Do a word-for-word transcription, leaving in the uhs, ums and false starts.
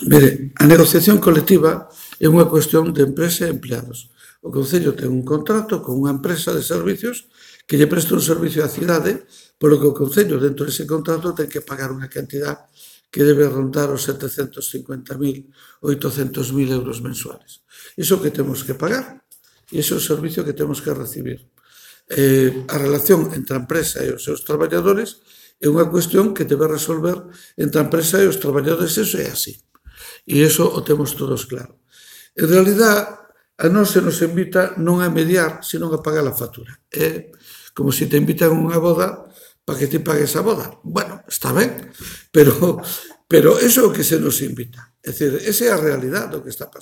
Mire, a negociación colectiva é unha cuestión de empresa e empleados. O Concello ten un contrato con unha empresa de servicios que lle presta un servicio á cidade, polo que o Concello, dentro dese contrato, ten que pagar unha cantidad que debe rondar os setecentos cincuenta mil, oitocentos mil euros mensuales. Iso que temos que pagar, e iso é o servicio que temos que recibir. Eh, a relación entre a empresa e os seus traballadores é unha cuestión que debe resolver entre a empresa e os traballadores, iso é así. E iso o temos todos claro. En realidad, a nós se nos invita non a mediar, sino a pagar a factura. É como se te invitan a unha boda para que te pagues a boda. Bueno, está ben, pero, pero eso é o que se nos invita. É dicir, esa é a realidade do que está pasando.